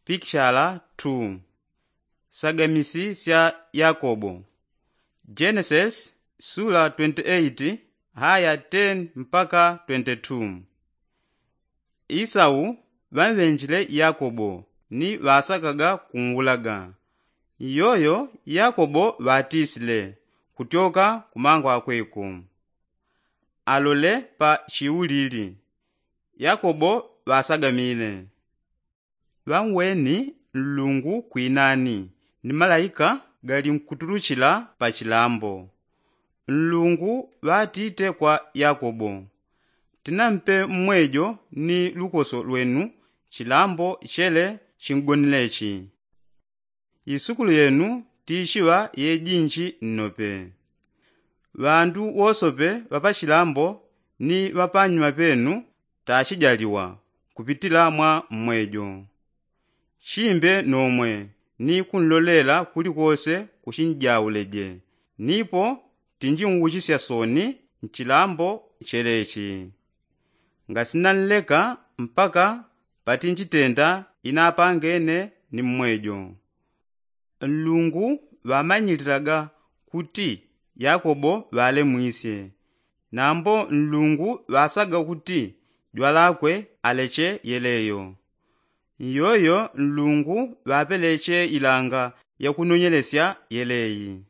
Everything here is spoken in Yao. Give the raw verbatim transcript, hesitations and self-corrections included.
pikishala tu. Sagamisi sya yakobo. Jenesis sula twenti eiti haya teni mpaka twenti tu. Isau ŵamŵenjile yakobo ni ŵasakaga kunwulaga. Iyoyo yakobo ŵatisile kutyoka kumangwakwe ku. Alole pa chiulili. Yakobo ŵasagamile. Ŵanweni nlungu kwinani ni malaika gali nkuturuchila pa chilambo. Nlungu ŵatite kwa yakobo, tinampe mmwejo ni lukoso lwenu chilambo chele chingonilechi. Isukulu yenu tichiŵa yejinji nnope. Ŵandu wosope ŵapachilambo ni ŵapanyuma penu tachijaliwa kupitila mwa mmwejo. Chimbe nomwe ni kunlolela kulikose kuchinjauleje nipo tinjinwuchisya soni nchilambo chelechi. Ngasinanleka mpaka patinjitenda inapangene ni mmwejo. Nlungu ŵamanyililaga kuti yakobo ŵalemwisye. Nambo nlungu ŵasaga kuti jwalakwe aleche yeleyo. Iyoyo nlungu ŵapeleche ilanga yakunonyelesya yeleyi.